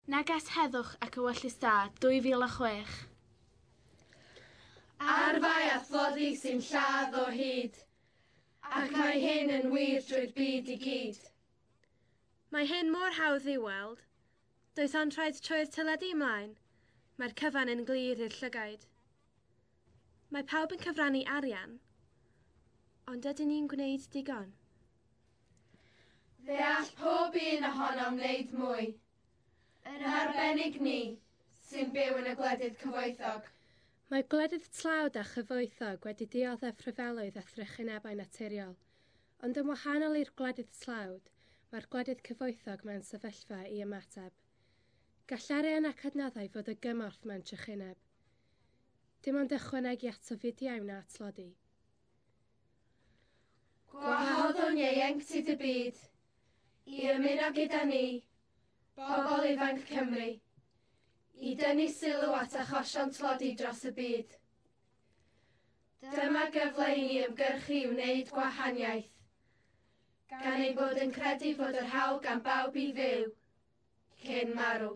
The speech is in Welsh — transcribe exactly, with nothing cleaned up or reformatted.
Neges Heddwch ac Ewyllys Da dwy fil a chwech. Arfau a thlodi sy'n lladd o hyd, ac mae hyn yn wir drwy'r byd i gyd. Mae hyn mor hawdd i'w weld. Does ond rhaid troi'r teledu ymlaen. Mae'r cyfan yn glir i'r llygaid. Mae pawb yn cyfrannu arian, ond ydyn ni'n gwneud digon? Fe all pob un ohonom wneud mwy. Yn arbennig ni, sy'n byw yn y gwledydd cyfoethog. Mae gwledydd tlawd a chyfoethog wedi dioddef rhyfeloedd a thrychinebau naturiol, ond yn wahanol i'r gwledydd tlawd, mae'r gwledydd cyfoethog mewn sefyllfa i ymateb. Gall arian ac adnoddau fod o gymorth mewn trychineb. Dim ond ychwanegu at ofidiau wna tlodi. Gwahoddwn ieuenctid y byd i ymuno gyda ni, bobl ifanc Cymru, i dynnu sylw at achosion tlodi dros y byd. Dyma gyfle i ni ymgyrchu i wneud gwahaniaeth, gan ein bod yn credu fod yr hawl gan bawb i fyw, cyn marw.